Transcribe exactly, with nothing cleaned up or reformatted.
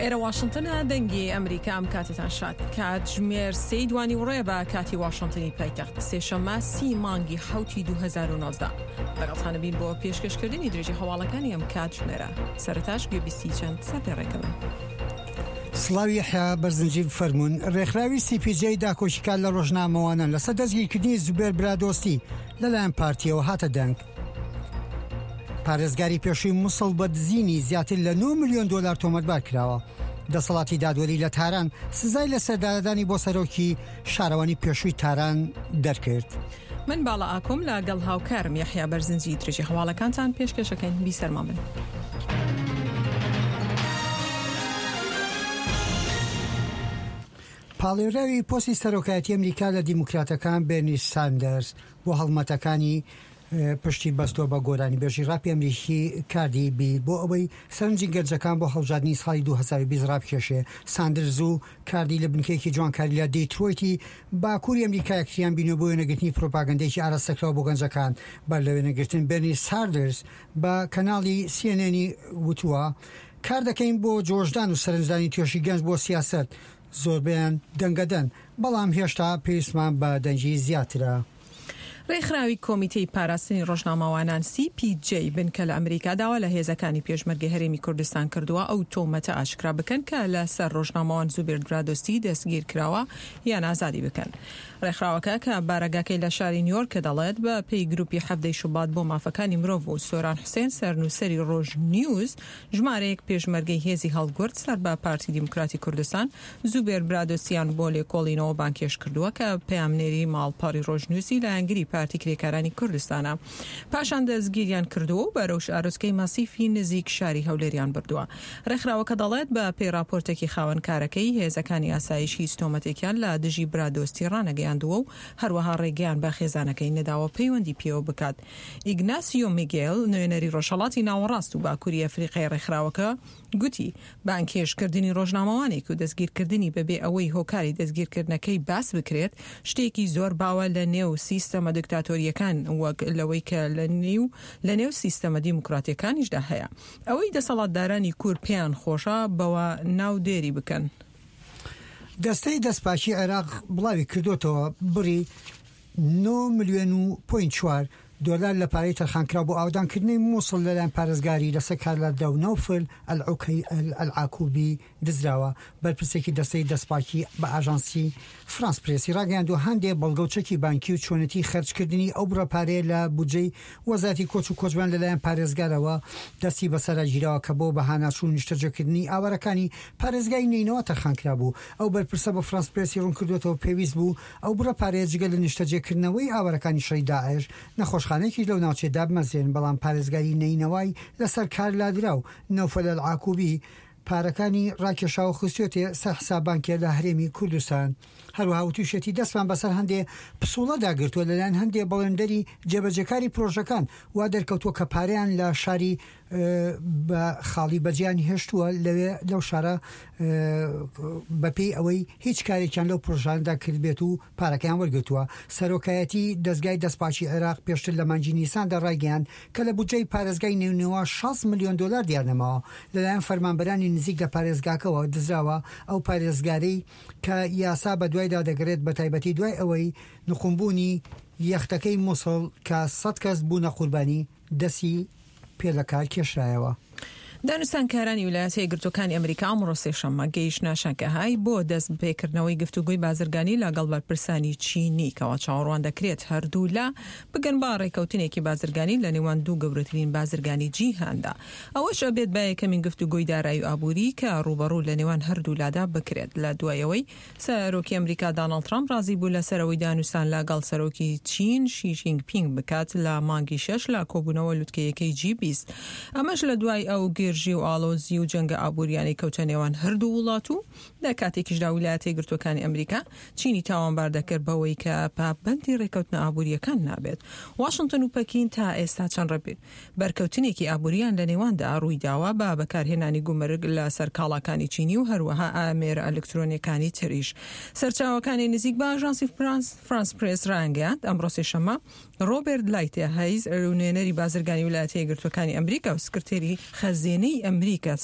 ئێرە واشنتنە، دەنگی ئەمریکا. ئەم کاتێتان شاد. کاتژمێر سێی دوانی وڕێ بە کاتی واشنتنی پایتەخت، سێشەممە سی مانگی حەوتی دوو هەزار و نۆزدە. لەگەڵتانە بین بۆ پێشکەشکردنی درێژی هەواڵەکانی ئەم کاتژمێرە. سەرەتاش گوێبیستی چەند سەرپێڕێکە بن. سڵاو یەحیا بەرزنجی بفەرموون. ڕێکخراوی سی پی جەی داکۆکیکار لە ڕۆژنامەوانان لەسەر دەستگیرکردنی زوبێر برادۆستی لەلایەن پارتیەوە هاتە دەنگ. پارێزگاری پێشووی موسڵ بە دزینی زیاتر لە نۆ ملیۆن دۆلار تۆمەتبار کراوە. دەسەڵاتی دادوەری لە تاران سزای لە سەردارەدانی بۆ سەرۆکی شارەوانی پێشووی تاران دەرکرد. من باڵا ئاکۆم لەگەڵ هاوکارم یەحیا بەرزنجی درێژی هەواڵەکانتان پێشکەشەکەین. بیسەرمان بن. پاڵێوراوی پۆستی سەرۆکایەتی ئەمریکا لە دیموکراتەکان بێرنی ساندەرز بۆ هەڵمەتەکانی پشتی بەستووە بە گۆرانیبێژی ڕاپی ئەمریکی کاردی بی بۆ ئەوەی سەرنجی گەنجەکان بۆ هەڵبژاردنی ساڵی دوو هەزار و بیست ڕابکێشێ. ساندرز و کاردی لە بنکەیەکی جوانکاری لە دیترۆیتی باکووری ئەمریکا یەکتریان بینیوە بۆ وێنەگرتنی پرۆپاگەندەیەکی ئاراستەکراو بۆ گەنجەکان. بەر لە وێنەگرتن بێرنی ساندرز بە کەناڵی سی ئێن ئێنی وتووە کار دەکەین بۆ جۆشدان و سەرنجدانی توێژی گەنج بۆ سیاسەت، زۆربەیان دەنگەدەن، بەڵام هێشتا پێویستمان بە دەنگی زیاترە. ڕێکخراوی کۆمیتەی پاراستنی ڕۆژنامەوانان سی پی جەی بنکە لە ئەمریکا داوا لە هێزەکانی پێشمەرگەی هەرێمی کوردستان کردووە ئەو تۆمەتە ئاشکرا بکەن کە لەسەر ڕۆژنامەوان زوبێر برادۆستی دەستگیر کراوە یان ئازادی بکەن. ڕێکخراوەکە کە بارەگاکەی لە شاری نیویۆرکە دەڵێت بە پێی گروپی حەڤدەی شوبات بۆ مافەکانی مرۆڤ و سۆران حوسێن سەرنووسەری ڕۆژ نیوز ژمارەیەک پێشمەرگەی هێزی هەڵگورد سەر بە پارتی دیموکراتی کوردستان زوبێر برادۆستیان بۆ لێکۆڵینەوە بانکێش کردووە کە پەیامنێری ماڵپەڕی ڕۆژ نیوزی لایەنگری پارتی کرێکارانی کوردستانە. پاشان دەستگیریان کردووە و بەرەو شارۆچکەی ماسیفی نزیک شاری هەولێریان بردووە. ڕێکخراوەکە دەڵێت بە پێی راپۆرتێکی خاوەنکارەکەی هێزەکانی ئاسایش هیچ تۆمەتێکیان لە دژی برادۆستی ڕانەگەیاندووە و هەروەها ڕێگەیان بە خێزانەکەی نەداوە پەیوەندی پێوە بکات. ئیگناسیۆ میگێل نوێنەری ڕۆژهەڵاتی ناوەڕاست و باکووری ئەفریقای ڕێکخراوەکە گوتی بانکهێشتکردنی ڕۆژنامەوانێک و دەستگیرکردنی بەبێ ئەوەی هۆکاری دەستگیرکردنەکەی باس بکرێت شتێکی زۆر باوە لە نێو سیستەمە دکتاتۆریەکان وەک لەوەی کە لە نێو لە نێو سیستەمە دیموکراتیەکانیشدا هەیە. ئەوەی دەسەڵاتدارانی کورد پێیان خۆشە بەوە ناودێری بکەن. دەستەی دەستپاکی عێراق بڵاوی کردوتەوە بڕی نۆ ملیۆن و پوینت چوار دۆلار لە پارەی تەرخانکراو بۆ ئاودانکردنی مووسڵ لەلایەن پارێزگاری لەسەر کارلادرا و نەوفل ئەلعاکوبی دزراوە. بەرپرسێکی دەستەی دەستپاکی بە ئاژانسی فرانس پرێسی ڕاگەیاندووە هەندێک بەڵگە و چەکی بانکی و چۆنێتی خەرجکردنی ئەو بڕە پارەیە لە بودجەی وەزارەتی کۆچ و کۆچبان لەلایەن پارێزگارەوە دەستی بەسەرا گیراوە کە بۆ بەهاناچوون نیشتەجێکردنی ئاوارەکانی پارێزگای نەینەوا تەرخان کرابوو. ئەو بەرپرسە بە فرانس پرێسی ڕوون کردوێتەوە پێویست بوو ئەو بڕە پارەیە جگە لە نیشتەجێکردنەوەی ئاوارەکانی شەڕی داعش نەخۆشخانەیەکیش لەو ناوچەیە دابمەزرێن، بەڵام پارێزگاری نەینەوای لەسەر کار لادرا و نەوفەل ئەلعاکوبی پارەکانی ڕاکێشاوە خستوێتێ سەر حساب بانکێ لە هەرێمی کوردستان. هەروەها وتوشێتی دەستمان بەسەر هەندێ پسوڵەدا گرتووە لەلایەن هەندێ بەڵێندەری جێبەجێکاری پرۆژەکان وا دەرکەوتووە کە پارەیان لە شاری بە خاڵی بەجیان هێشتووە لەوێ لەو شارە بەپێی ئەوەی هیچ کارێکیان لەو پرۆژاندا کردبێت و پارەکەیان وەرگرتووە. سەرۆکایەتی دەستگای دەستپاکی عێراق پێشتر لە مانگی نیساندا ڕایگەیاند کە لە بودجەی پارێزگای نەینەوا شەست ملیۆن دۆلار دیار نەماوە لەلایەن فەرمانبەرانی نزیک لە پارێزگاکەوە دزراوە. ئەو پارێزگارەی کە یاسا بە دوایدا دەگرێت بە تایبەتی دوای ئەوەی نقومبوونی یەختەکەی مووسڵ کە سەد کەس بوونە قوربانی دەستی پێ لە کار کێشرایەوە. دانوستانکارانی ویلایەتە یەکگرتووەکانی ئەمریکا ئەمڕۆ سێشەممە گەیشتنە شەنگهای بۆ دەست پێکردنەوەی گفتوگۆی بازرگانی لەگەڵ بەرپرسانی چینی کەوا چاوەڕوان دەکرێت هەردوو لا بگەن بە ڕێکەوتنێکی بازرگانی لە نێوان دوو گەورەترین بازرگانی جیهاندا. ئەوەش ئەبێت بە یەکەمین گفتوگۆی دارایی و ئابووری کە ڕووبەڕوو لە نێوان هەردوو لادا بکرێت لە دوای ئەوەی سەرۆکی ئەمریکا داناڵد ترامپ ڕازی بوو لەسەرەوەی دانوستان لەگەڵ سەرۆکی چین شی جینگ پینگ بکات لە مانگی شەش لە کۆبوونەوە لوتکەیەکەی جی بیست. ئەمەش لە دوای ئەو گرژی و ئاڵۆزی و جەنگە ئابووریانەی کەوتە نێوان هەردوو وڵات و لە کاتێکیشدا ویلایەتە یەکگرتووەکانی ئەمریکا چینی تاوانبار دەکرد بەوەی کە پابەندی ڕێکەوتنە ئابووریەکان نابێت. واشنگتن و پەکین تا ئێستا چەند بەرکەوتنێکی ئابووریان لە نێواندا ڕوویداوە بە بەکارهێنانی گومرگ لەسەر کاڵاکانی چینی و هەروەها ئامێرە ئەلکترۆنیەکانی تریش. سەرچاوەکانی نزیک بە ئاژانسی فرانس پرێس ڕایانگەیاند ئەمڕۆ سێشەممە ڕۆبەرت لایتهایزەر نوێنەری بازرگانی ویلایەتە یەکگرتووەکانی ئەمریکا و سکرتێری خەزێنەی ئەمریکا